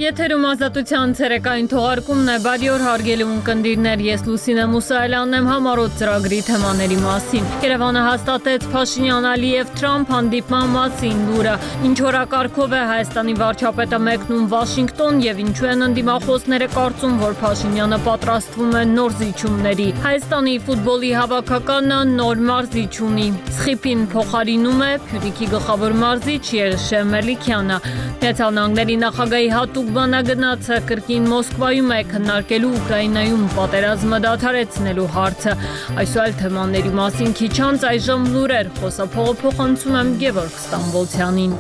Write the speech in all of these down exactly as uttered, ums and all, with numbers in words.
Եթերում ազատության ցերեկային թողարկումն է, բարի օր հարգելի ունկնդիրներ, ես Լուսինե Մուսայելյանն եմ համառոտ ծրագրի թեմաների մասին։ Երևանը հաստատեց Փաշինյան-Ալիև Թրամփ հանդիպման մասին լուրը, ինչ օրակարգով է Հայաստանի վարչապետը մեկնում Վաշինգտոն եւ ինչու են ընդդիմախոսները կարծում, որ Փաշինյանը պատրաստվում է նոր զիջումների։ Հայաստանի ֆուտբոլի հավաքականը նոր մարզիչ ունի։ Սխիպին փոխարինում է Փյունիկի գլխավոր մարզիչ Երշե Մելիքյանը։ Միացյալ Նահանգների նախագահի հատուկ բանագնացը կրկին Մոսկվայում է քննարկելու Ուկրաինայում պատերազմը դադարեցնելու հարցը։ Այսօր թեմաների մասին քիչ անց այժմ լուրեր, խոսափողը փոխանցում եմ Գևորգ Ստամբոլցյանին։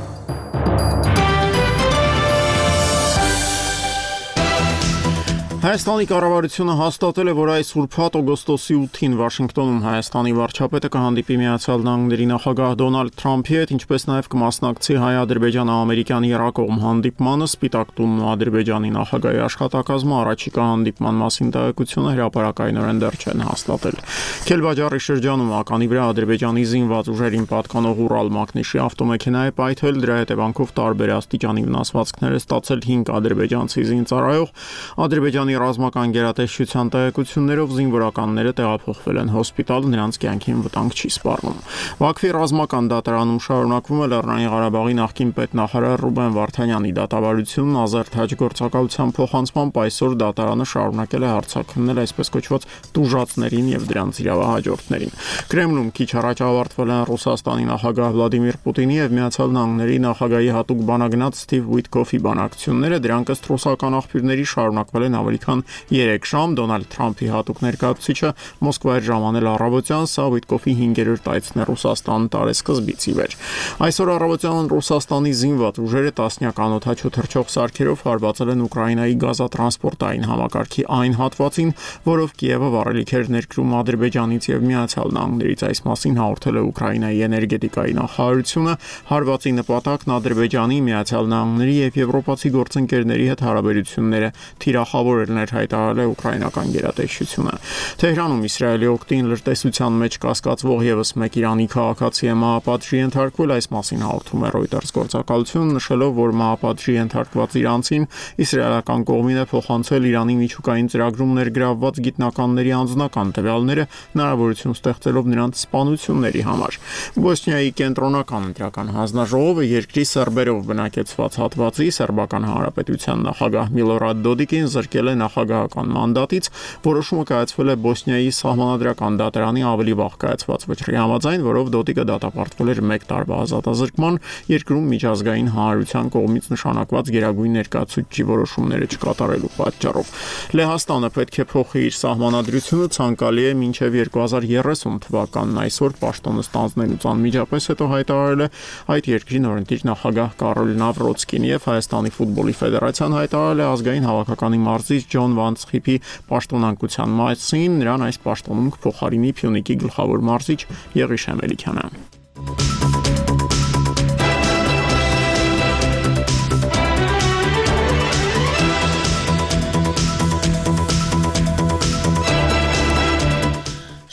Հայաստանի կառավարությունը հաստատել է, որ այս ուրբաթ օգոստոսի ութին Վաշինգտոնում Հայաստանի վարչապետը կհանդիպի Միացյալ Նահանգների նախագահ Դոնալդ Թրամփի հետ, ինչպես նաև կմասնակցի հայ-ադրբեջան-ամերիկյան եռակողմ հանդիպմանը, Սպիտակ տունն ու Ադրբեջանի նախագահի աշխատակազմը առաջիկա հանդիպման մասին տեղեկությունը հրապարակայնորեն դեռ չեն հաստատել։ Քելբաջարի շրջանում ականի վրա Ադրբեջանի զինված ուժերին պատկանող Ուրալ մակնիշի ավտոմեքենա է պայթել, դրա հետևանքով տարբեր աստիճանի վնասվածքներ է ստացել հինգ ադրբեջանցի զինծառայող։ Ադրբեջանի ռազմական գերատեսչության տեղեկություններով զինվորականները տեղափոխվել են հոսպիտալ, նրանց կյանքին վտանգ չի սպառնում։ Բաքվի ռազմական դատարանում շարունակվում է Լեռնային Ղարաբաղի նախկին պետնախարար Ռուբեն Վարդանյանի դատավարությունն ազերտ հաջգործակալության փոխանցմամբ այսօր դատարանը շարունակել է հարցաքննել այսպես կոչված տուժածներին եւ դրանց իրավահաջորդներին։ Կրեմլում քիչ առաջ ավարտվել են Ռուսաստանի նախագահ Վլադիմիր Պուտինի եւ Միացյալ Նահանգների նախագահի հատուկ բանագնաց Սթիվ Ուիտկոֆի բանակցությունները, դրանք ըստ ռուսական աղբյուրների շարունակվել են ավելի քան երեք ժամ։ Դոնալդ Թրամփի հատուկ ներկայացուցիչը Մոսկվայ էր ժամանել առավոտյան, սա Ուիտկոֆի հինգերորդ այցն է Ռուսաստան տարեսկզբից ի վեր։ Այսօր առավոտյան Ռուսաստանի զինված ուժերը տասնյակ անօդաչու թռչող սարքերով հարվածել են Ուկրաինայի գազատրանսպորտային համակարգի այն հատվածին, որով Կիևը վառելիք էր ներկրում Ադրբեջանից եւ Միացյալ Նահանգներից։ Այս մասին հաղորդել է Ուկրաինայի էներգետիկայի նախարարությունը։ Հարվածի նպատակն Ադրբեջանի, Միացյալ Նահանգների եւ եվրոպացի գործընկերների հետ հարաբերությունները թիրախավորելն էր, հայտարարել է ուկրաինական գերատեսչությունը։ Թեհրանում Իսրայելի օգտին լրտեսության մեջ կասկածվող եւս մեկ Իրանի քաղաքացի է մահապատժի ենթարկվել, այս մասին հաղորդում է Reuters գործակալությունը, նշելով, որ մահապատժի ենթարկված իրանցին իսրայելական կողմին է փոխանցել Իրանի միջուկային ծրագրում ներգրավված գիտնականների անձնական տվյալները, հնարավորություն ստեղծելով նրանց սպանությունների համար։ Բոսնիայի կենտրոնական ընտրական հանձնաժողովը երկրի սերբերով բնակեցված հատվածի Սերբական Հանրապետության նախագահ Միլորադ Դոդիկին զրկել է նախագահական մանդատից, որոշումը կայացվել է Բոսնիայի սահմանադրական դատարանի ավելի վաղ կայացված վճռի համաձայն, որով Դոդիկը դատապարտվել էր մեկ տարվա ազատազրկման, երկրում միջազգային հանրության կողմից նշանակված գերագույն ներկայացուցիչի որոշումները չկատարելու պատճառով։ Լեհաստանը պետք է փոխի իր սահմանադրությունը, ցանկալի է մինչև երկու հազար երեսուն թվականն այսօր պաշտոնը ստանձնելուց անմիջապես հետո հայտարարել է այդ երկրի նորընտիր նախագահ Կարոլ Նավրոցկին եւ Հայաստանի ֆուտբոլի ֆեդերացիան հայտարարել է ազգային հավաքականի մարզիչ Ջոն Վան Սխիպի պաշտոնանկության մասին, նրան այս պաշտոնում կփոխարինի Փյունիկի գլխավոր մարզիչ Եղիշե Մելիքյանը։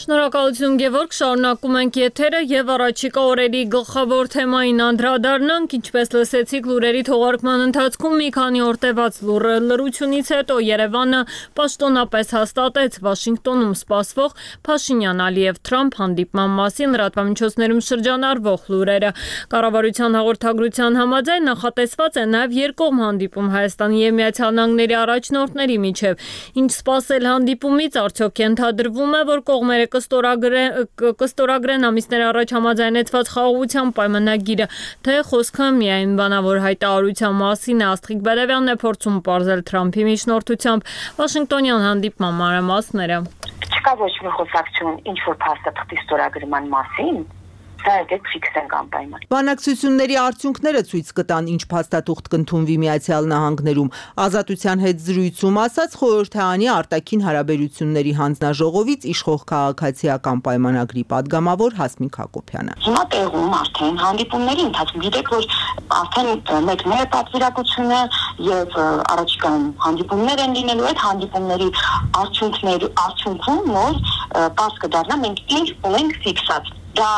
Շնորհակալություն Գևորգ, շարունակում ենք եթերը եւ առաջիկա օրերի գլխավոր թեմային անդրադառնանք, ինչպես լսեցիք լուրերի թողարկման ընթացքում մի քանի օր տևած լրությունից հետո Երևանը պաշտոնապես հաստատեց Վաշինգտոնում սպասվող Փաշինյան-Ալիև Թրամփ հանդիպման մասին լրատվամիջոցներում շրջանառվող լուրերը։ Կառավարության հաղորդագրության համաձայն նախատեսված է նաեւ երկկողմ հանդիպում Հայաստանի եւ Միացյալ Նահանգների առաջնորդների միջև։ Ինչ սպասել հանդիպումից, արդյոք ենթադրվում է, որ կողմերը կստորագրեն ամիսներ առաջ համաձայնեցված խաղաղության պայմանագիրը, թե խոսքը միայն բանավոր հայտարարության մասին է, Աստղիկ Բերևյանն է փորձում պարզել Թրամփի միջնորդությամբ Վաշինգտոնյան հանդիպման մանրամասները։ Չկա ոչ մի խոսակցություն ինչ որ փաստաթղթի ստորագրման մասին, դա է ֆիքս են անպայման։ Բանակցությունների արդյունքները ցույց կտան, ինչ փաստաթուղթ կընդունվի Միացյալ Նահանգներում։ Ազատության հետ զրույցում ասաց խորհրդարանի արտաքին հարաբերությունների հանձնաժողովից իշխող քաղաքացիական պայմանագրի падգամավոր Հասմիկ Հակոբյանը։ Հիմա տեղում արդեն հանդիպումների ընթացքում գիտեք, որ արդեն մեկներ է պատվիրակությունը եւ առաջիկայում հանդիպումներ են լինելու, այդ հանդիպումների արդյունքների արդյունքում նոր պարզ կդառնա մենք ինչ ունենք ֆիքսած։ Դա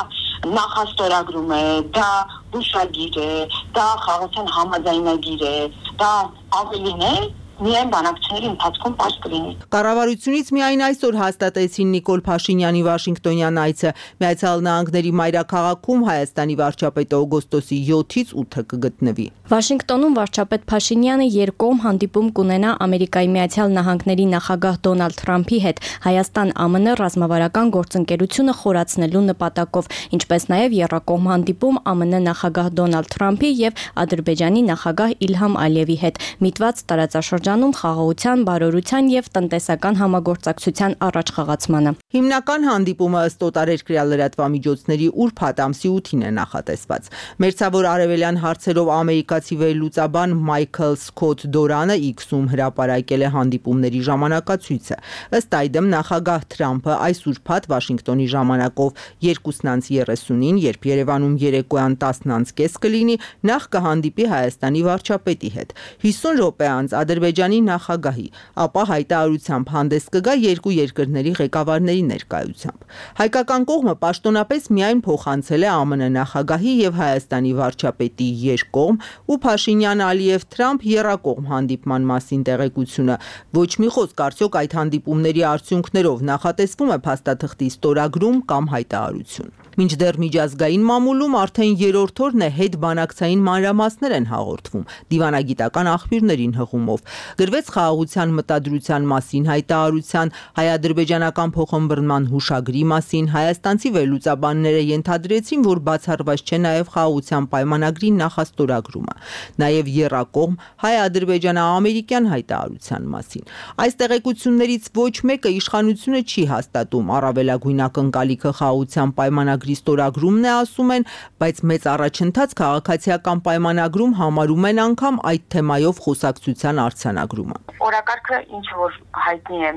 նախաստորագրում է, դա հուշագիր է, դա խաղաղության համաձայնագիր է, դա ավելին է միայն բանակցությունների ընթացքում պարզ կլինի։ Կառավարությունից միայն այսօր հաստատեցին Նիկոլ Փաշինյանի Վաշինգտոնյան այցը։ Միացյալ Նահանգների մայրաքաղաքում Հայաստանի վարչապետը օգոստոսի յոթից ութը կգտնվի։ Վաշինգտոնում վարչապետ Փաշինյանը երկկողմ հանդիպում կունենա Ամերիկայի Միացյալ Նահանգների նախագահ Դոնալդ Թրամփի հետ Հայաստան-ԱՄՆ ռազմավարական գործընկերությունը խորացնելու նպատակով, ինչպես նաև եռակողմ հանդիպում ԱՄՆ նախագահ Դոնալդ Թրամփի եւ Ադրբեջանի նախագահ Իլհամ Ալիևի հետ, միտված տարածաշրջանում խաղաղության, բարօրության եւ տնտեսական համագործակցության առաջխաղացմանը։ Հիմնական հանդիպումը ըստ օտարերկրյա լրատվամիջոցների ուրբաթ ամսի ութին է նախատեսված։ Մերձավոր արևելյան հարցերով ամերիկացի վերլուծաբան Մայքլ Սքոթ Դորանը X-ում հրապարակել է հանդիպումների ժամանակացույցը։ Ըստ այդմ նախագահ Թրամփը այս ուրբաթ Վաշինգտոնի ժամանակով երկուսն անց երեսունին, երբ Երևանում երեկոյան տասն անց կես կլինի, նախ կհանդիպի Հայաստանի վարչապետի հետ։ հիսուն րոպե անց Ադրբեջանի նախագահի, ապա հայտարարությամբ հանդես կգա երկու երկրների ղեկավարների ներկայությամբ։ Հայկական կողմը պաշտոնապես միայն փոխանցել է ԱՄՆ նախագահի եւ Հայաստանի վարչապետի երկկողմ ու Փաշինյան-Ալիև-Թրամփ եռակողմ հանդիպման մասին տեղեկությունը։ Ոչ մի խոսք արդյոք այդ հանդիպումների արդյունքներով նախատեսվում է փաստաթղթի ստորագրում կամ հայտարարություն։ Մինչդեռ միջազգային մամուլում արդեն երրորդ օրն է հետ բանակցային մանրամասներ են հաղորդվում դիվանագիտական աղբյուրներին հղումով։ Գրվեց խաղաղության մտադրության մասին հայտարարության, հայ-ադրբեջանական փոխըմբռնման հուշագրի մասին, հայաստանցի վերլուծաբանները ենթադրեցին, որ բացառված չէ նաև խաղաղության պայմանագրի նախաստորագրումը, նաև եռակողմ հայ-ադրբեջանա-ամերիկյան հայտարարության մասին։ Այս տեղեկություններից ոչ մեկը իշխանությունը չի հաստատում, առավելագույն ակնկալիքը խաղաղության պայմանագրի ստորագրումն է, ասում են, բայց մեծ առաջընթաց քաղաքացիական պայմանագրում համարում են անգամ այդ թեմայով խոսակցության արձանագրումը։ Օրակարգը ինչ որ հայտնի է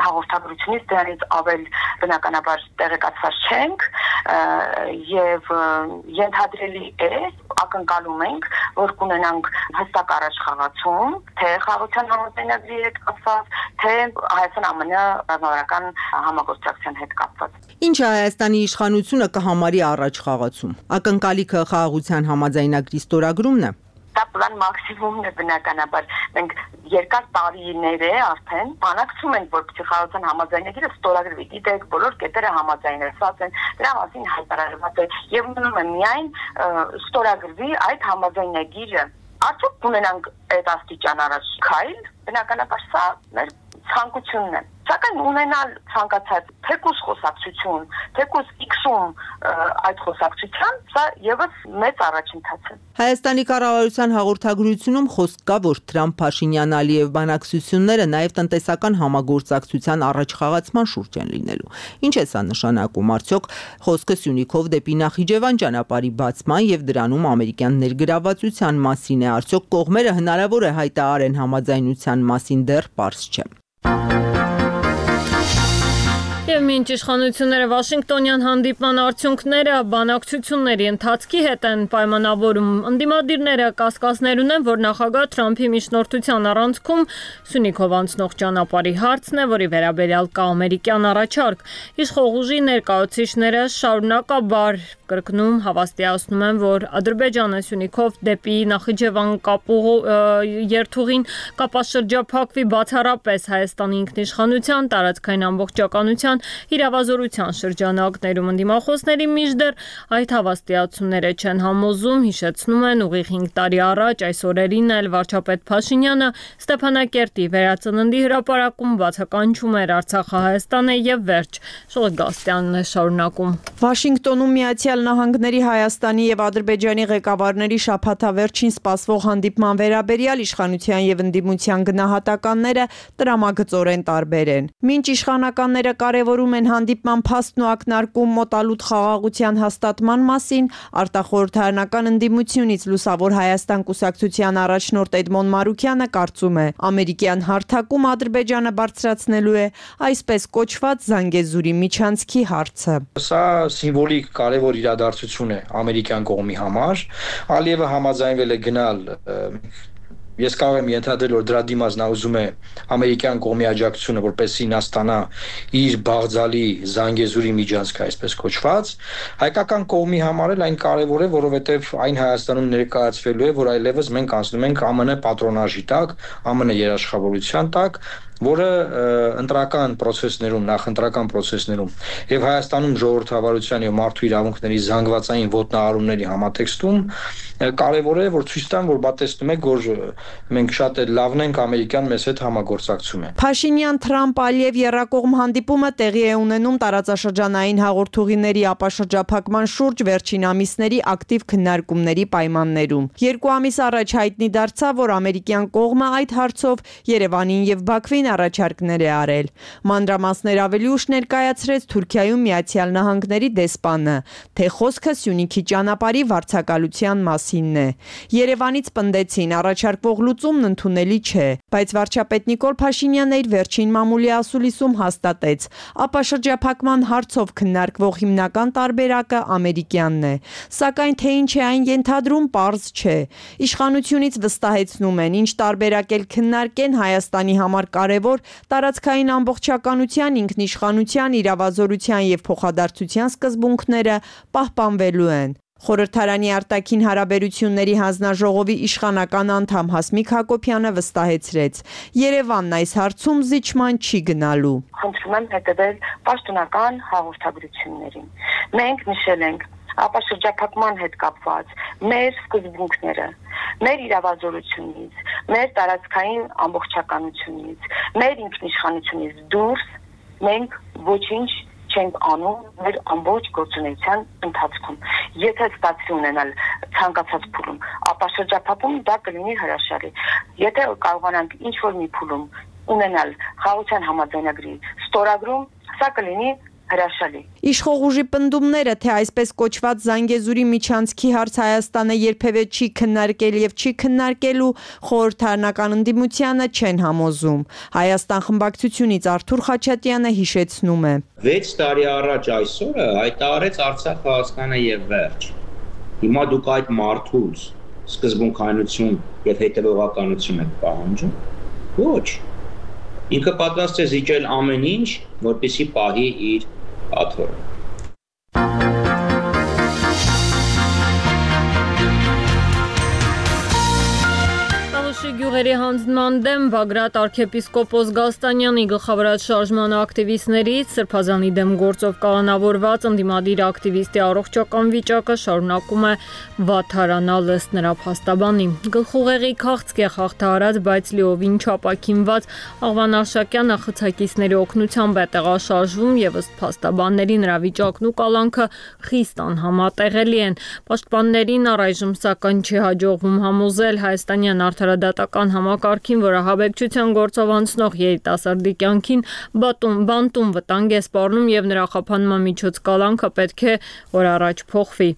հաղորդագրությունից, դրանից ավել բնականաբար տեղեկացված չենք եւ ենթադրելի է, ակնկալում ենք, որ կունենանք հստակ առաջխաղացում, թե խաղաղության համաձայնագրի հետ կապված, թե Հայաստան-ԱՄՆ ռազմավարական համագործակցության հետ կապված։ Ինչ է Հայաստանի իշխանությունը կհամարի առաջխաղացում։ Ակնկալիքը խաղաղության համաձայնագրի ստորագրումն է։ Դա պլան մաքսիմումն է բնականաբար։ Մենք երկար տարիներ է արդեն բանակցում ենք, որ խաղաղության համաձայնագիրը ստորագրվի։ Գիտեք, բոլոր կետերը համաձայնեցված են, դրա մասին հայտարարված է եւ մնում է միայն ստորագրվի այդ համաձայնագիրը։ Արդյոք կունենանք այդ աստիճան առաջ քայլ, բնականաբար սա մեր ցանկությունն է։ Սակայն ունենալ ցանկացած թեկուզ խոսակցություն, թեկուզ X-ում այդ խոսակցության, սա եւս մեծ առաջընթաց է։ Հայաստանի կառավարության հաղորդագրությունում խոսք կա, որ Թրամփ-Փաշինյան-Ալիև բանակցությունները նաև տնտեսական համագործակցության առաջխաղացման շուրջ են լինելու։ Ինչ է սա նշանակում, արդյոք խոսքը Սյունիքով դեպի Նախիջևան ճանապարհի բացման եւ դրանում ամերիկյան ներգրավվածության մասին է, արդյոք կողմերը հնարավոր է հայտարարեն համաձայնության մասին, դեռ պարզ չէ։ Եվ մինչ իշխանությունները Վաշինգտոնյան հանդիպման արդյունքները բանակցությունների ընթացքի հետ են պայմանավորում, ընդդիմադիրները կասկածներ ունեն, որ նախագահ Թրամփի միջնորդության առանցքում Սյունիքով անցնող ճանապարհի հարցն է, որի վերաբերյալ կա ամերիկյան առաջարկ։ Իշխող ուժի ներկայացուցիչները շարունակաբար կրկնում հավաստիացնում են, որ Ադրբեջանը Սյունիքով դեպի Նախիջևան կապող երթուղին կապաշրջափակվի բացառապես Հայաստանի ինքնիշխանության, տարածքային ամբողջականության իրավազորության շրջանակներում։ Ընդդիմախոսների միջդեռ այդ հավաստիացումները չեն համոզում, հիշեցնում են ուղիղ հինգ տարի առաջ այս օրերին էլ վարչապետ Փաշինյանը Ստեփանակերտի վերածննդի հրապարակում բացականչում էր Արցախը Հայաստան է եւ վերջ։ Շողիկ Գաստյանն է շարունակում։ Վաշինգտոնում Միացյալ Նահանգների Հայաստանի եւ Ադրբեջանի ղեկավարների շաբաթավերջին սպասվող հանդիպման վերաբերյալ իշխանության եւ ընդդիմության գնահատականները տրամագծորեն տարբեր են։ Մինչ իշխանականները կարևորում են հանդիպման փաստն ու ակնարկում մոտալուտ խաղաղության հաստատման մասին, արտախորհրդարանական ընդդիմությունից Լուսավոր Հայաստան կուսակցության առաջնորդ Էդմոն Մարուկյանը կարծում է, ամերիկյան հարթակում Ադրբեջանը բարձրացնելու է այսպես կոչված Զանգեզուրի միջանցքի հարցը։ Սա սիմվոլիկ կարևոր իրադարձություն է ամերիկյան կողմի համար։ Ալիևը համաձայնվել է գնալ Ես կարող եմ ենթադրել, որ դրա դիմաց նա ուզում է ամերիկյան կողմի աջակցությունը, որպեսզի նա ստանա իր բաղձալի Զանգեզուրի միջանցքը, այսպես կոչված, հայկական կողմի համար էլ այն կարևոր է, որովհետև այն Հայաստանում ներկայացվելու է, որ այլևս մենք անցնում ենք ԱՄՆ պատրոնաժի տակ, ԱՄՆ երաշխավորության տակ, որը ընտրական process-ներում, նախընտրական process-ներում եւ Հայաստանում ժողովրդավարության եւ մարդու իրավունքների զանգվածային ոտնահարումների համատեքստում կարևոր է, որ ցույց տան, որ բա տեսնում եք, որ մենք շատ լավն ենք, ամերիկան մեզ հետ համագործակցում է։ Փաշինյան-Թրամփ-Ալիև եռակողմ հանդիպումը տեղի է ունենում տարածաշրջանային հաղորդուղիների ապաշրջափակման շուրջ վերջին ամիսների ակտիվ քննարկումների պայմաններում։ Երկու ամիս առաջ հայտնի դարձավ, որ ամերիկյան կողմը այդ հարցով Երևանին եւ Բաքվին առաջարկներ է արել։ Մանրամասներ ավելի ուշ ներկայացրեց Թուրքիայում Միացյալ Նահանգների դեսպանը, թե խոսքը Սյունիքի ճանապարհի վարձակալության մասինն է։ Երևանից պնդեցին, առաջարկվող լուծումն ընդունելի չէ, բայց վարչապետ Նիկոլ Փաշինյանն իր վերջին մամուլի ասուլիսում հաստատեց, ապաշրջափակման հարցով քննարկվող հիմնական տարբերակը ամերիկյանն է։ Սակայն թե ինչ է այն ենթադրում, պարզ չէ։ Իշխանությունից վստահեցնում են, ինչ տարբերակ էլ քննարկեն, Հայաստանի համար կարևոր տարածքային ամբողջականության, ինքնիշխանության, իրավազորության եւ փոխադարձության սկզբունքները պահպանվելու են։ Խորհրդարանի արտաքին հարաբերությունների հանձնաժողովի իշխանական անդամ Հասմիկ Հակոբյանը վստահեցրեց. Երևանն այս հարցում զիջման չի գնալու։ Խնդրում եմ հետևել պաշտոնական հաղորդագրություններին։ Մենք նշել ենք ապաշրջափակման հետ կապված մեր սկզբունքները, մեր իրավազորությունից, մեր տարածքային ամբողջականությունից, մեր ինքնիշխանությունից դուրս մենք ոչինչ չենք անում մեր ամբողջ գործունեության ընթացքում։ Եթե ստացվի ունենալ ցանկացած փուլում, ապաշրջափակում դա կլինի հրաշալի։ Եթե կարողանանք ինչ-որ մի փուլում ունենալ խաղաղության համաձայնագրի ստորագրում, սա կլինի հրաշալի։ Իշխող ուժի պնդումները, թե այսպես կոչված Զանգեզուրի միջանցքի հարց Հայաստանը երբևէ չի քննարկել եւ չի քննարկելու, խորհրդարանական ընդդիմությանը չեն համոզում։ Հայաստան խմբակցությունից Արթուր Խաչատյանը հիշեցնում է. վեց տարի առաջ այսօրը հայտարարեց Արցախը հասկանը եւ վերջ։ Հիմա դուք այդ մարդուց սկզբունքայնություն եւ հետեւողականություն եք պահանջում։ Ոչ։ Ինքը պատրաստ է զիջել ամեն ինչ, որպեսզի պահի իր աթոռը։ Գյուղերի հանձնման դեմ Բագրատ arczepiskopos Գալստանյանի գլխավորած շարժման ակտիվիստներից Սրբազանի դեմ գործով կալանավորված ընդդիմադիր ակտիվիստի առողջական վիճակը շարունակում է վատթարանալ ըստ նրա փաստաբանի։ Գլխուղեղի քաղցկեղ հաղթահարած, բայց լիովին չապաքինված Աղվան Արշակյանը խցակիցների օգնությամբ է տեղաշարժվում եւ ըստ փաստաբանների նրա վիճակն ու կալանքը խիստ անհամատեղելի են։ Պաշտպաններին առայժմ սակայն չի հաջողվում համոզել հայաստանյան արդարադատական համակարգին, որը հավեկչության գործով անցնող երիտասարդի կյանքին բատում բանտում վտանգ է սպառնում եւ նրա խափանման միջոց կալանքը պետք է որ առաջ փոխվի։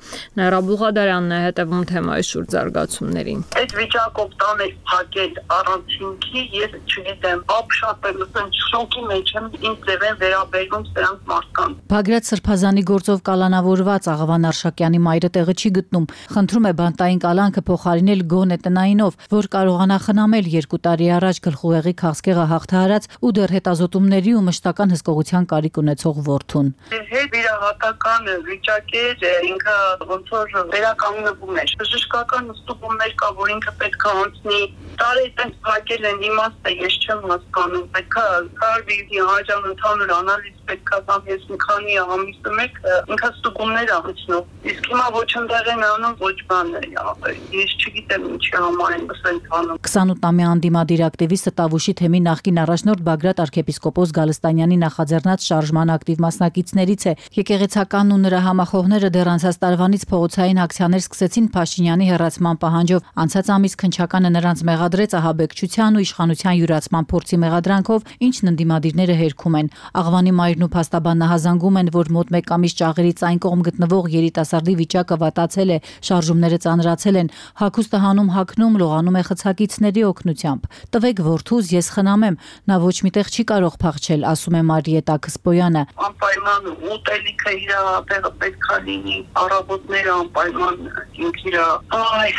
Նաիրա Բուղադարյանն է հետևում թեմայի շուրջ զարգացումներին։ Այդ վիճակով տանել փակել առանցինքի, ես չգիտեմ, ապշապել, ասենք շոկի մեջ եմ, ինձ ձև են վերաբերվում սրանց մարդկանց։ Բագրատ Սրբազանի գործով կալանավորված Աղվան Արշակյանի մայրը տեղը չի գտնում։ Խնդրում է բանտային կալանքը փոխարինել գոնե տնայինով, որ կարողանա խնամել երկու տարի առաջ գլխուղեղի քաղցկեղը հաղթահարած ու դեռ հետազոտումների ու մշտական հսկողության կարիք ունեցող որդուն։ Հետ վիրահատական վիճակ էր, ինքը ոնց որ վերականգնվում էր։ Բժշկական ստուգումներ կա, որ ինքը պետք է անցնի։ Տարի այդպես փակել են, իմաստը ես չեմ հասկանում։ Պետք է կարվի հաջան ընդհանուր անալիզ պետք է կամ ես մի քանի ամիսը մեկ ինքը ստուգումներ անցնող։ Իսկ հիմա ոչ ընդեղ են անում, ոչ բան է։ Ես չգիտեմ ինչի համար են քսանութամյա անդիմադիր ակտիվիստը Տավուշի թեմի նախկին առաջնորդ Բագրատ arczepiskopos Գալստանյանի նախաձեռնած շարժման ակտիվ մասնակիցներից է։ Եկեղեցականն ու նրա համախոհները դեռ անցած տարվանից փողոցային ակցիաներ սկսեցին Փաշինյանի հեռացման պահանջով։ Անցած ամիս քննչականը նրանց մեղադրեց ահաբեկչության ու իշխանության յուրացման փորձի մեղադրանքով, ինչն ընդդիմադիրները հերքում են։ Աղվանի մայրն ու փաստաբանն հազանգում են, որ մոտ մեկ ամիս ճաղերից այն կողմ գտնվող երիտասարդի վիճակը վատացել է, շարժումները ծանրացել են, հագուստը հանում հագնում լողանում է խցակիցների օգնությամբ։ Տվեք որդուս, ես խնամեմ, նա ոչ միտեղ չի կարող փախչել, ասում է Մարիետա Քսպոյանը։ Անպայման ուտելիքը իր տեղը պետք է լինի, առավոտները անպայման ինքն իր այ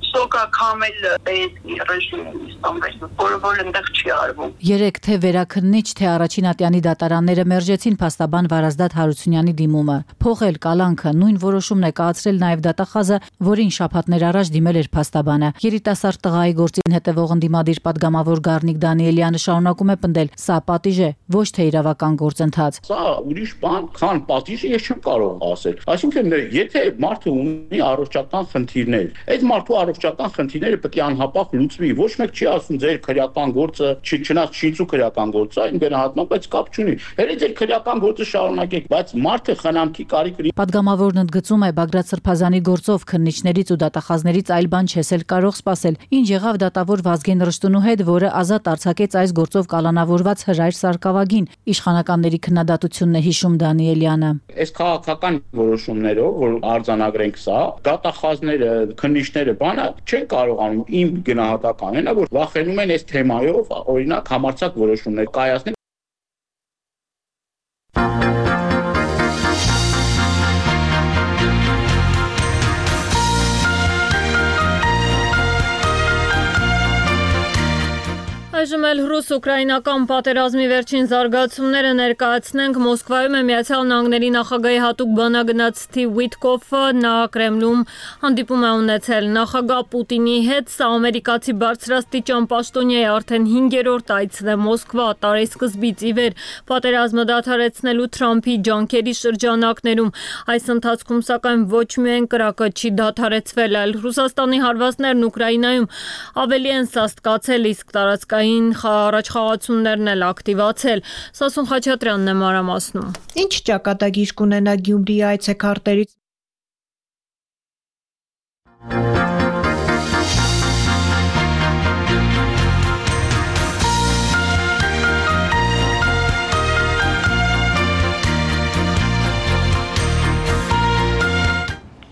սոկակամ էլ պետքի ռեժիմում ստանվել, որը որ ընդեղ չի արվում։ Երեք թե վերաքննիչ, թե առաջին ատյանի դատարանները մերժեցին փաստաբան Վարազդատ Հարությունյանի դիմումը։ Փոխել կալանքը նույն որոշումն է կայացրել նաև դատախազը, որին շաբաթներ առաջ դիմել էր փաստաբանը։ Երիտասարդ տղայի գործին հետևող ընդդիմադիր падգամավոր Գառնիկ Դանիելյանը շարունակում է պնդել, սա պատիժ է, ոչ թե իրավական գործընթաց։ Սա ուրիշ բան, քան պատիժը ես չեմ կարող ասել։ Այսինքն, եթե մարդը ունի առողջական խնդիրներ, այդ մարդու առողջական խնդիրները պետք է անհապաղ լուծվի։ Ոչ մեկ չի ասում ձեր քրեական գործը, չնայած շինծու քրեական գործը, այն գնահատման, բայց կապ չունի։ Հենց ձեր քրեական գործը շարունակեք, բայց մարդը խնամքի կարիք ունի։ Падգամավորն ընդգծում է Բագրատ Սրբազանի գործով քննիչներից ու դատախազներից այլ բան չես էլ կարող սպասել։ Ինչ եղավ դատավոր Վազգեն Ռշտունու հետ, որը ազատ արձակեց այս գործով կալանավորված Հրայր Սարգսակյանին։ Իշխանականների քննադատությունն է հիշում Դանիելյանը։ Այս քաղաքական որոշումներով, որ արձանագրենք սա, դատախազները, քննիչները բանը չեն կարողանում իմ գնահատականն է, որ վախենում են այս թեմայով, օրինակ համարձակ որոշումներ կայացնել։ Այժմ էլ ռուս-ուկրաինական պատերազմի վերջին զարգացումները ներկայացնենք։ Մոսկվայում է Միացյալ Նահանգների նախագահի հատուկ բանագնաց Սթիվ Ուիթկոֆը, նա Կրեմլում հանդիպում է ունեցել նախագահ Պուտինի հետ։ Սա ամերիկացի բարձրաստիճան պաշտոնյայի արդեն հինգերորդ այցն է Մոսկվա տարեսկզբից ի վեր պատերազմը դադարեցնելու Թրամփի ջանքերի շրջանակներում։ Այս ընթացքում սակայն ոչ միայն կրակը չի դադարեցվել, այլ Ռուսաստանի հարվածներն Ուկրաինայում ավելի են սաստկացել, իսկ տարածքային առաջխաղացումներն էլ ակտիվացել։ Սասուն Խաչատրյանն է մանրամասնում։ Ինչ ճակատագիր կունենա Գյումրիի այցեքարտերից։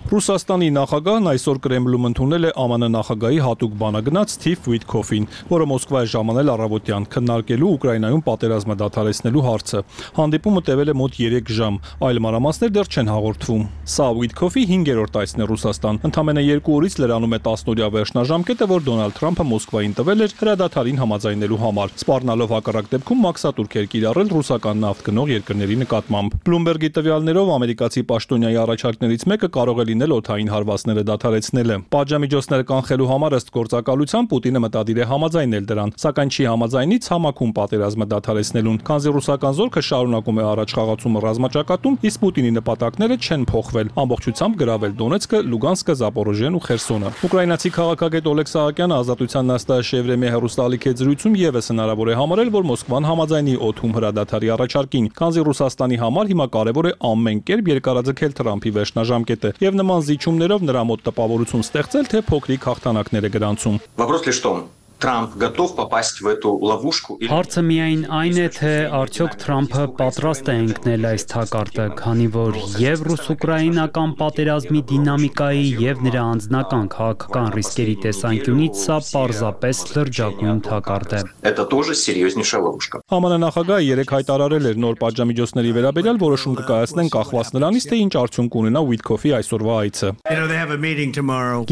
Ռուսաստանի նախագահն այսօր Կրեմլում ընդունել է ԱՄՆ նախագահի հատուկ բանագնաց Սթիվ Ուիթկոֆին, որը Մոսկվա է ժամանել առավոտյան քննարկելու Ուկրաինայում պատերազմը դադարեցնելու հարցը։ Հանդիպումը տևել է մոտ երեք ժամ, այլ մանրամասներ դեռ չեն հաղորդվում։ Սա Ուիթկոֆի հինգերորդ այցն է Ռուսաստան։ Ընդամենը երկու օրից լրանում է տասնօրյա վերջնաժամկետը, որ Դոնալդ Թրամփը Մոսկվային տվել էր հրադադարին համաձայնելու համար, սպառնալով հակառակ դեպքում մաքսատուրքեր կիրառել ռուսական նավթ գնող երկրների նկատմամբ։ Բլումբերգի տվյալներով ամերիկացի պաշտոնյայի առաջարկներից մեկը կարող է լինել օդային հարվածները դադարեցնելը։ Պատժամիջոցները կանխելու համար ըստ գործակալության Պուտինը մտադիր է համաձայնել դրան, սակայն չի համաձայնի ցամաքում պատերազմը դադարեցնելուն, քանզի ռուսական զորքը շարունակում է առաջխաղացումը ռազմաճակատում, իսկ Պուտինի նպատակները չեն փոխվել՝ ամբողջությամբ գրավել Դոնեցկը, Լուգանսկը, Զապորոժիեն ու Խերսոնը։ Ուկրաինացի քաղաքագետ Օլեգ Սահակյանը Ազատության նստաշեվրեմի հեռուստաալիքի զրույցում եւս հնարավոր է համարել, որ Մոսկվան համաձայնի օդում հրադադարի առաջարկին, քանզի Ռուսաստանի համար հիմա կարևոր է ամեն կերպ երկարաձգել Թրամփի վերջնաժամկետը եւ նման զիջումներով նրա մոտ տպավորություն ստեղծել, թե փոքրիկ հաղթանակներ է գրանցում։ Вопрос лишь в том, Трамп готов попасть в эту ловушку или Հարցը միայն այն է, թե արդյոք Թրամփը պատրաստ է ընկնել այս թակարդը, քանի որ եւ ռուս-ուկրաինական պատերազմի դինամիկայի եւ նրա անձնական քաղաքական ռիսկերի տեսանկյունից սա պարզապես լրջագույն թակարդ է։ Это тоже серьезнейшая ловушка։ ԱՄՆ նախագահը երեք հայտարարել էր նոր պատժամիջոցների վերաբերյալ որոշում կկայացնեն կախված նրանից, թե ինչ արդյունք ունենա Ուիթկոֆի այսօրվա այցը։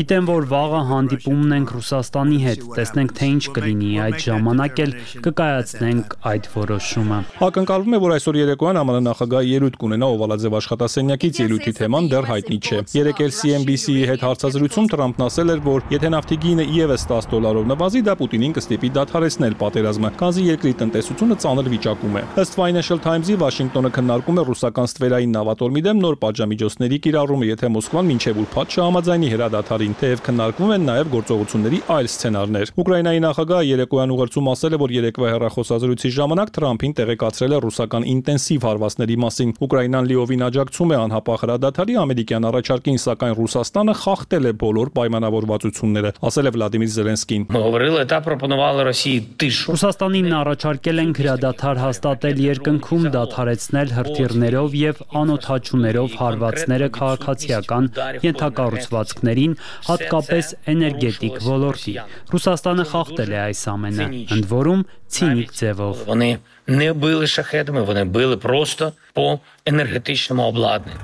Գիտեմ, որ վաղը հանդիպումն ենք Ռուսաստանի հետ, տեսնենք թե ինչ կլինի, այդ ժամանակ էլ կկայացնենք այդ որոշումը։ Ակնկալվում է, որ այսօր երեկոյան ԱՄՆ նախագահը ելույթ կունենա Օվալաձև աշխատասենյակից, ելույթի թեման դեռ հայտնի չէ։ Երեկ էլ C N B C-ի հետ հարցազրույցում Թրամփն ասել էր, որ եթե նավթի գինը իևս տասը դոլարով նվազի, դա Պուտինին կստիպի դադարեցնել պատերազմը, քանզի երկրի տնտեսությունը ծանր վիճակում է։ Ըստ Financial Times-ի Վաշինգտոնը քննարկում է ռուսական ստվերային նավատորմի դեմ նոր պատժամիջոցների կիրառումը, եթե Մոսկվան մինչև ուրբաթ չհամաձայնի հրադադարին, թեև քննարկվում են նաև գործողությունների այլ սցենարներ։ Ուկրաինայի նախագահը երեկոյան ուղերձում ասել է, որ երեկվա հեռախոսազրույցի ժամանակ Թրամփին տեղեկացրել է ռուսական ինտենսիվ հարվածների մասին։ Ուկրաինան լիովին աջակցում է անհապաղ հրադադարի ամերիկյան առաջարկին, սակայն Ռուսաստանը խախտել է բոլոր պայմանավորվածությունները, ասել է Վլադիմիր Զելենսկին։ Ռուսաստանին առաջարկել են հրադադար հաստատել երկնքում, դադարեցնել հրթիռներով եւ անօդաչուներով հարվածները քաղաքացիական ենթակառուցվածքներին, հատկապես էներգետիկ ոլորտի։ Ռուսաստանը խախտել է այս ամենը, ընդ որում ցինիկ ձևով։ Вони не били шахедами, вони били просто по енергетичному обладнанню.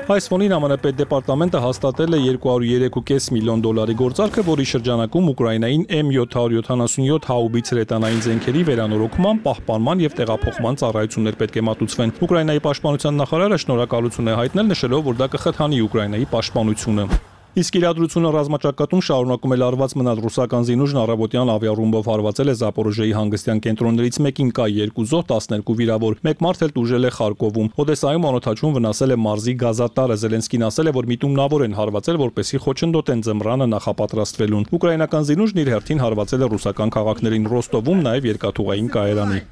Այս ֆոնին ԱՄՆ պետդեպարտամենտը հաստատել է երկու հարյուր երեք կόμma պենս միլիոն դոլարի գործարքը, որի շրջանակում Ուկրաինային էմ յոթ յոթանասունյոթ հաուբիցեր հետանային զենքերի վերանորոգման, պահպանման եւ տեղափոխման ծառայություններ պետք է մատուցվեն։ Ուկրաինայի պաշտպանության նախարարը շնորհակալություն է հայտնել, նշելով, որ դա կխթանի Ուկրաինայի պաշտպանությունը։ Իսկ իրադրությունը ռազմաճակատում շարունակում է լարված մնալ ռուսական զինուժն առավոտյան ավիառումբով հարվածել է Զապորոժիեի հանգստյան կենտրոններից մեկին, կա երկու զոհ, տասներկու վիրավոր, մեկ մարդ էլ տուժել է Խարկովում։ Օդեսայում անօդաչուն վնասել է մարզի գազատարը։ Զելենսկին ասել է, որ միտումնավոր են հարվածել, որպեսզի խոչընդոտեն ձմռանը նախապատրաստվելուն։ Ուկրաինական զինուժն իր հերթին հարվածել է ռուսական քաղաքներին Ռոստովում, նաև երկաթուղային կայարանի։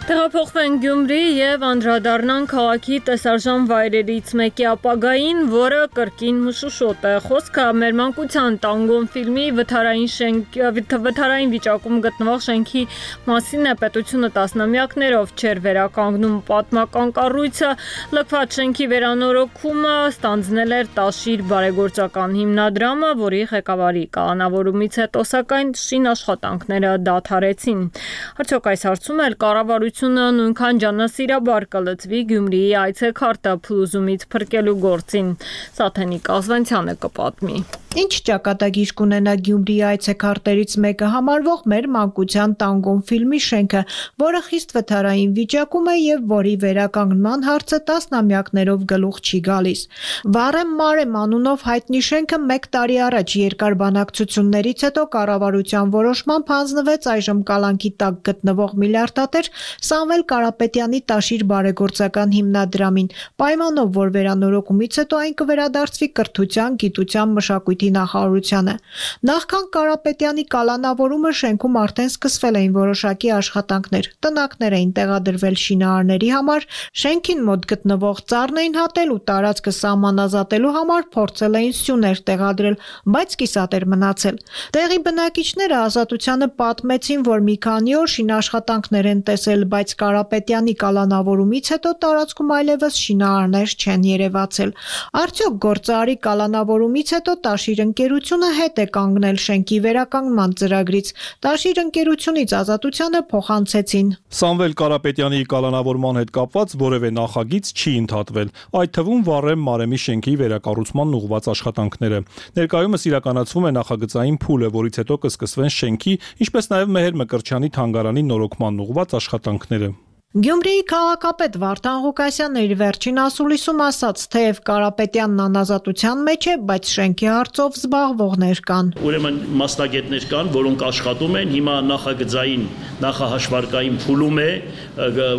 Տեղափոխվեն Գյումրի եւ անդրադառնան քաղաքի տեսարժան վայրերից մեկի ապագային, որը կրկին մշուշոտ է։ Խոսքը մեր մանկության Տանգոն ֆիլմի վթարային շենք վթարային վիճակում գտնվող շենքի մասին է։ Պետությունը տասնամյակներով չէր վերականգնում պատմական կառույցը, լքված շենքի վերանորոգումը ստանձնել էր Տաշիր բարեգործական հիմնադրամը, որի ղեկավարի կալանավորումից հետո սակայն շին աշխատանքները դադարեցին։ Արդյոք այս հարցում էլ կառավարությունը նույնքան ջանասիրաբար կլծվի Գյումրիի այցեքարտը փլուզումից փրկելու գործին։ Սաթենիկ Ազվանցյանը կպատմի։ Ինչ ճակատագիր կունենա Գյումրիի այցեքարտերից մեկը համարվող մեր մանկության Տանգոն ֆիլմի շենքը, որը խիստ վթարային վիճակում է եւ որի վերականգնման հարցը տասնամյակներով գլուխ չի գալիս։ Վառեմ Մարեմ անունով հայտնի շենքը մեկ տարի առաջ երկար բանակցություններից հետո կառավարության որոշմամբ հանձնվեց այժմ կալանքի տակ գտնվող միլիարդատեր Սամվել Կարապետյանի Տաշիր բարեգործական հիմնադրամին, պայմանով, որ վերանորոգումից հետո այն կվերադարձվի կրթության, գիտության, մշակույթի նախարարությանը։ Նախքան Կարապետյանի կալանավորումը շենքում արդեն սկսվել էին որոշակի աշխատանքներ։ Տնակներ էին տեղադրվել շինարարների համար, շենքին մոտ գտնվող ծառն էին հատել ու տարածքը սահմանազատելու համար փորձել էին սյուներ տեղադրել, բայց կիսատ էր մնացել։ Տեղի բնակիչները Ազատությանը պատմեցին, որ մի քանի օր շինաշխատանքներ են տեսել, բայց Կարապետյանի կալանավորումից հետո տարածքում այլևս շինարարներ չեն երևացել։ Արդյոք գործարարի կալանավորումից հետո Տաշիր ընկերությունը հետ է կանգնել շենքի վերականգնման ծրագրից։ Տաշիր ընկերությունից Ազատությանը փոխանցեցին։ Սամվել Կարապետյանի կալանավորման հետ կապված որևէ նախագիծ չի ընդհատվել, այդ թվում Վառեմ Մարեմի շենքի վերակառուցման ուղղված աշխատանքները։ Ներկայումս իրականացվում է նախագծային փուլը, որից հետո կսկսվեն շենքի, ինչպես նաև Մեհեր Մկրտչյանի թանգարանի նորոգման ուղղված աշխատանքները։ Գյումրիի քաղաքապետ Վարդան Ղուկասյանն իր վերջին ասուլիսում ասաց, թեև Կարապետյանն անազատության մեջ է, բայց շենքի հարցով զբաղվողներ կան։ Ուրեմն մասնագետներ կան, որոնք աշխատում են, հիմա նախագծային, նախահաշվարկային փուլում է,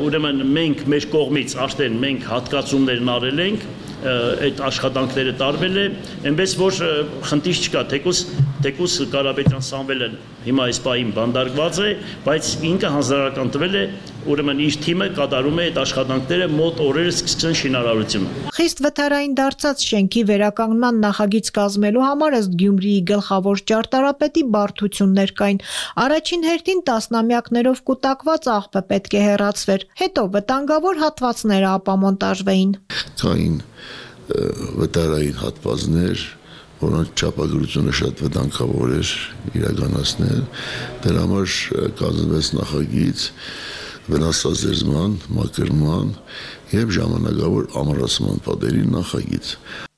ուրեմն մենք մեր կողմից արդեն մենք հատկացումներն արել ենք, այդ աշխատանքները տարվել է, այնպես որ խնդիր չկա, թեկուզ թեկուզ Կարապետյան Սամվելը հիմա այս պահին բանդարկված է, բայց ինքը հանձնարարական տվել է, ուրեմն իր թիմը կատարում է այդ աշխատանքները, մոտ օրերս կսկսեն շինարարությունը։ Խիստ վթարային դարձած շենքի վերականգնման նախագիծ կազմելու համար ըստ Գյումրիի գլխավոր ճարտարապետի բարդություններ կային։ Առաջին հերթին տասնամյակներով կուտակված աղբը պետք է հեռացվեր, հետո վտանգավոր հատվածները ապամոնտաժվեին։ Կային վտարային հատվածներ, որոնց չափագրությունը շատ վտանգավոր էր իրականացնել, դրա համար կազմվեց նախագիծ վնասազերծման, մաքրման եւ ժամանակավոր ամրացման պատերի նախագիծ։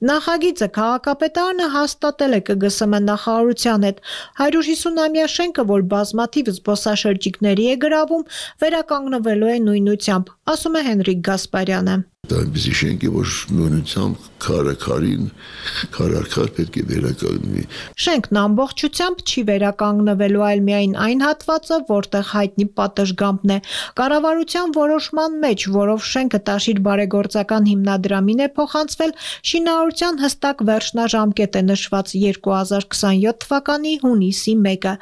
Նախագիծը քաղաքապետարանը հաստատել է Կ Գ Սմ նախարարության հետ։ հարյուր հիսուն-ամյա շենքը, որ բազմաթիվ զբոսաշրջիկների է գրավում, վերականգնվելու է նույնությամբ, ասում է Հենրիկ Գասպարյանը։ Դա այնպիսի շենք է, որ նույնությամբ քարը քարին, քարարքար պետք է վերականգնվի։ Շենքն ամբողջությամբ չի վերականգնվելու, այլ միայն այն հատվածը, որտեղ հայտնի պատշգամբն է։ Կառավարության որոշման մեջ, որով շենքը Տաշիր բարեգործական հիմնադրամին է փոխանցվել, շինարարության հստակ վերջնաժամկետ է նշված երկու հազար քսաներորդ թվականի հունիսի մեկը։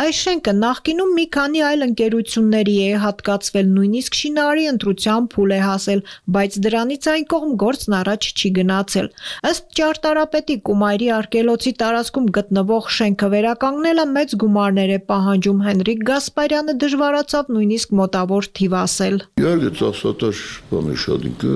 Այս շենքը նախկինում մի քանի այլ ընկերությունների է հատկացվել, նույնիսկ շինարարի ընտրության փուլ է հասել, բայց դրանից այն կողմ գործն առաջ չի գնացել։ Ըստ ճարտարապետի Կումայրի արգելոցի տարածքում գտնվող շենքը վերականգնելը մեծ գումարներ է պահանջում։ Հենրիկ Գասպարյանը դժվարացավ նույնիսկ մոտավոր թիվ ասել։ Իհարկե ծախսատար բան է շատ ինքը,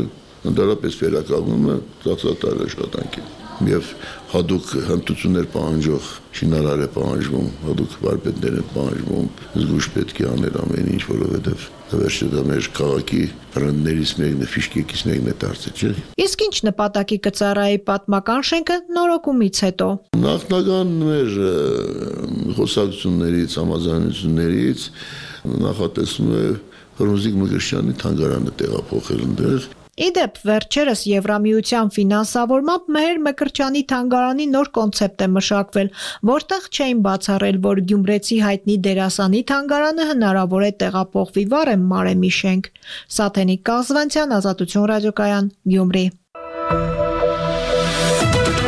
ընդհանրապես վերականգնումը ծախսատար աշխատանք է։ Եվ հատուկ հմտություններ պահանջող շինարար է պահանջվում, հատուկ վարպետներ են պահանջվում, զգուշ պետք է անել ամեն ինչ, որովհետև վերջը դա մեր քաղաքի բրենդներից մեկն է, ֆիշկեկից մեկն է դարձել, չէ՞։ Իսկ ինչ նպատակի կծառայի պատմական շենքը նորոգումից հետո։ Նախնական մեր խոսակցություններից, համաձայնություններից նախատեսվում է Ֆրունզիկ Մկրտչյանի թանգարանը տեղափոխել այնտեղ։ Իդեպ վերջերս Եվրամիության ֆինանսավորմամբ Մեհեր Մկրտչյանի թանգարանի նոր կոնցեպտ է մշակվել, որտեղ չէին բացառել, որ գյումրեցի հայտնի դերասանի թանգարանը հնարավոր է տեղափոխվի Վարեմ Մարեմի շենք։ Սաթենիկ Կազվանցյան, Ազատություն ռադիոկայան, Գյումրի։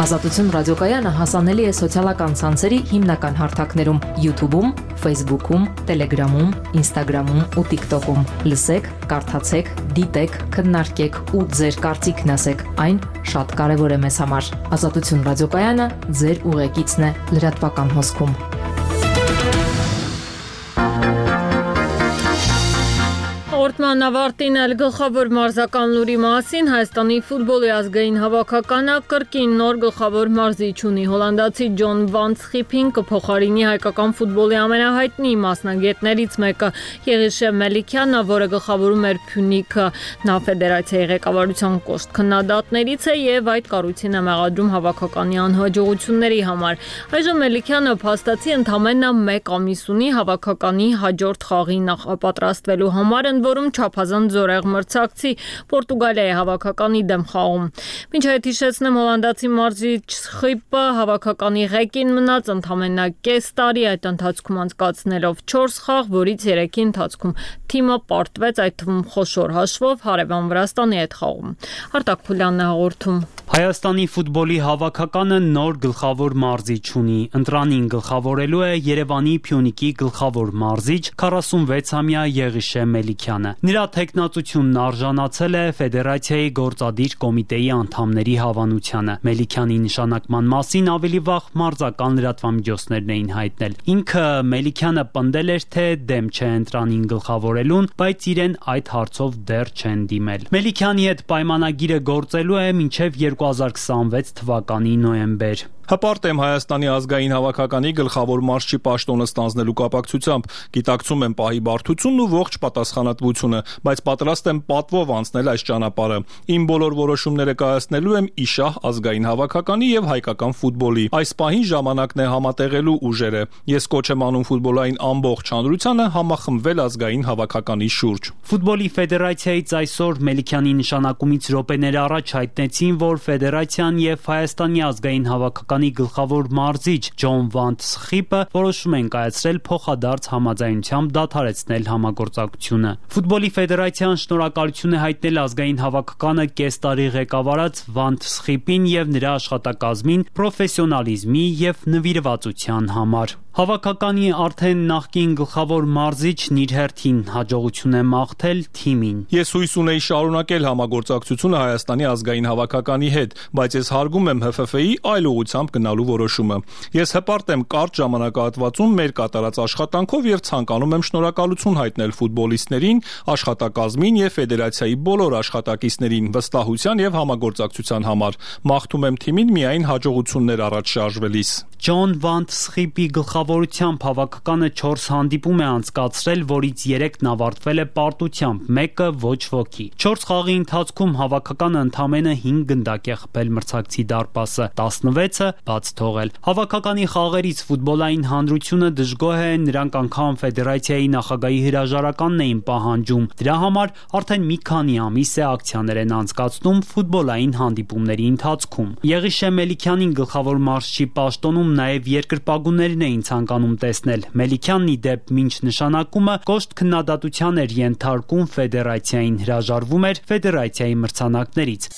Ազատություն ռադիոկայանը հասանելի է սոցիալական ցանցերի հիմնական հարթակներում՝ YouTube-ում, Facebook-ում, Telegram-ում, Instagram-ում ու TikTok-ում։ Լսեք, կարդացեք, դիտեք, քննարկեք ու ձեր կարծիքն ասեք։ Այն շատ կարևոր է մեզ համար։ Ազատություն ռադիոկայանը ձեր ուղեկիցն է լրատվական հոսքում։ Հաղորդման ավարտին էլ գլխավոր մարզական լուրի մասին Հայաստանի ֆուտբոլի ազգային հավաքականը կրկին նոր գլխավոր մարզիչ ունի։ Հոլանդացի Ջոն Վան Սխիփին կփոխարինի հայկական ֆուտբոլի ամենահայտնի մասնագետներից մեկը Եղիշե Մելիքյանը, որը գլխավորում էր Փյունիկը, նա ֆեդերացիայի ղեկավարության կոշտ քննադատներից է եւ այդ կառույցին է մեղադրում հավաքականի անհաջողությունների համար։ Այժմ Մելիքյանը փաստացի ընդամենը մեկ ամիս ունի հավաքականի հաջորդ խաղի նախապատրաստվելու համար, որում չափազանց զորեղ մրցակցի Պորտուգալիայի հավաքականի դեմ խաղում։ Մինչ այդ հիշեցնեմ, հոլանդացի մարզիչ Սխիփը հավաքականի ղեկին մնաց ընդամենը կես տարի, այդ ընթացքում անցկացնելով չորս խաղ, որից երեքի ընթացքում թիմը պարտվեց, այդ թվում խոշոր հաշվով հարևան Վրաստանի հետ խաղում։ Արտակ Փուլյանն է հաղորդում։ Հայաստանի ֆուտբոլի հավաքականը նոր գլխավոր մարզիչ ունի։ Ընտրանին գլխավորելու է Երևանի Փյունիկի գլխավոր մարզիչ քառասունվեցամյա Եղիշե Մելիքյանը։ Նրա թեկնածությունն արժանացել է ֆեդերացիայի գործադիր կոմիտեի անդամների հավանությանը։ Մելիքյանի նշանակման մասին ավելի վաղ մարզական լրատվամիջոցներն էին հայտնել։ Ինքը Մելիքյանը պնդել էր, թե դեմ չէ ընտրանին գլխավորելուն, բայց իրեն այդ հարցով դեռ չեն դիմել։ Մելիքյանի հետ պայմանագիրը գործելու է մինչև երկու հազար քսանվեց թվականի նոյեմբեր։ Հպարտ եմ Հայաստանի ազգային հավաքականի գլխավոր մարզչի պաշտոնը ստանձնելու կապակցությամբ, գիտակցում եմ պահի բարդությունն ու ողջ պատասխանատվությունը, բայց պատրաստ եմ պատվով անցնել այս ճանապարհը։ Իմ բոլոր որոշումները կայացնելու եմ իշահ ազգային հավաքականի եւ հայկական ֆուտբոլի։ Այս պահին ժամանակն է համատեղելու ուժերը։ Ես կոչ եմ անում ֆուտբոլային ամբողջ հանրությանը համախմբվել ազգային հավաքականի շուրջ։ Ֆուտբոլի ֆեդերացիայից այսօր Մելիքյանի նշանակումից րոպեներ առաջ հայտնեցին, որ ֆեդերացիան եւ Հայաստանի ազգային հավաքականի գլխավոր մարզիչ Ջոն Վան Սխիփը որոշում են կայացրել փոխադարձ համաձայնությամբ դադարեցնել համագործակցությունը։ Ֆուտբոլի ֆեդերացիան շնորհակալություն է հայտնել ազգային հավաքականը կես տարի ղեկավարած Վան Սխիփին եւ նրա աշխատակազմին պրոֆեսիոնալիզմի եւ նվիրվածության համար։ Հավաքականի արդեն նախկին գլխավոր մարզիչն իր հերթին հաջողություն է մաղթել թիմին։ Ես հույս ունեի շարունակել համագործակցությունը Հայաստանի ազգային հավաքականի հետ, բայց ես հարգում եմ Հ Ֆ Ֆ-ի այլ ուղղությամբ գնալու որոշումը։ Ես հպարտ եմ կարճ ժամանակահատվածում մեր կատարած աշխատանքով եւ ցանկանում եմ շնորհակալություն հայտնել ֆուտբոլիստներին, աշխատակազմին եւ ֆեդերացիայի բոլոր աշխատակիցներին վստահության եւ համագործակցության համար։ Մաղթում եմ թիմին միայն հաջողություններ առաջ շարժվելիս։ Ջոն Վան Սխիփի գլխավորությամբ հավաքականը չորս հանդիպում է անցկացրել, որից երեքն ավարտվել է պարտությամբ, մեկը ոչ ոքի։ չորս խաղի ընթացքում հավաքականը ընդամենը հինգ գնդակ է խփել մրցակցի դարպասը, տասնվեցը բաց թողել։ Հավաքականի խաղերից ֆուտբոլային հանրությունը դժգոհ է, նրանք անգամ ֆեդերացիայի նախագահի հրաժարականն էին պահանջում։ Դրա համար արդեն մի քանի ամիս է ակցիաներ են անցկացնում ֆուտբոլային հանդիպումների ընթացքում։ Եղիշե Մելիքյանին գլխավոր մարզչի պաշտոնում նաև երկրպագուներն էին ցանկանում տեսնել։ Մելիքյանն ի դեպ մինչ նշանակումը կոշտ քննադատության էր ենթարկում ֆեդերացիային, հրաժարվում էր ֆեդերացիայի մրցանակներից։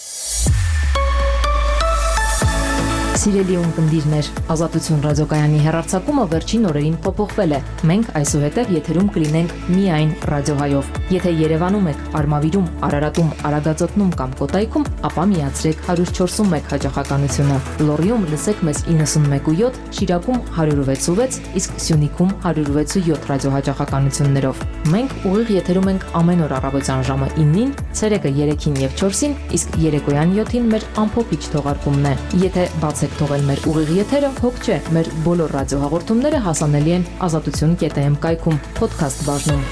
Սիրելի ունկնդիրներ, Ազատություն ռադիոկայանի հեռարձակումը վերջին օրերին փոփոխվել է։ Մենք այսուհետև եթերում կլինենք միայն ռադիոհայով։ Եթե Երևանում եք, Արմավիրում, Արարատում, Արագածոտնում կամ Կոտայքում, ապա միացրեք one oh four one հաճախականությունը։ Լոռիում լսեք մեզ ninety-one point seven, Շիրակում one oh six point six, իսկ Սյունիքում one oh six point seven ռադիոհաճախականություններով։ Մենք ուղիղ եթերում ենք ամեն օր առավոտյան ժամը nine-ին, ցերեկը three-ին եւ four-ին, իսկ երեկոյան seven-ին մեր ամփոփիչ թողարկումն է։ Եթե բացեք թողել մեր ուղիղ եթերը, հոգ չէ, մեր բոլոր ռադիոհաղորդումները հասանելի են ազատություն կետ am կայքում, podcast բաժնում։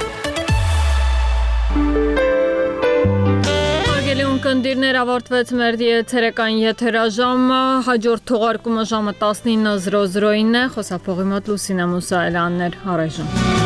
Հարգելի ունկնդիրներ, ավարտվեց մեր եթերական եթերաժամը, հաջորդ թողարկումը ժամը nineteen oh oh-ին է, խոսափողի մոտ Լուսինե Մուսայելյանն էր, առայժմ։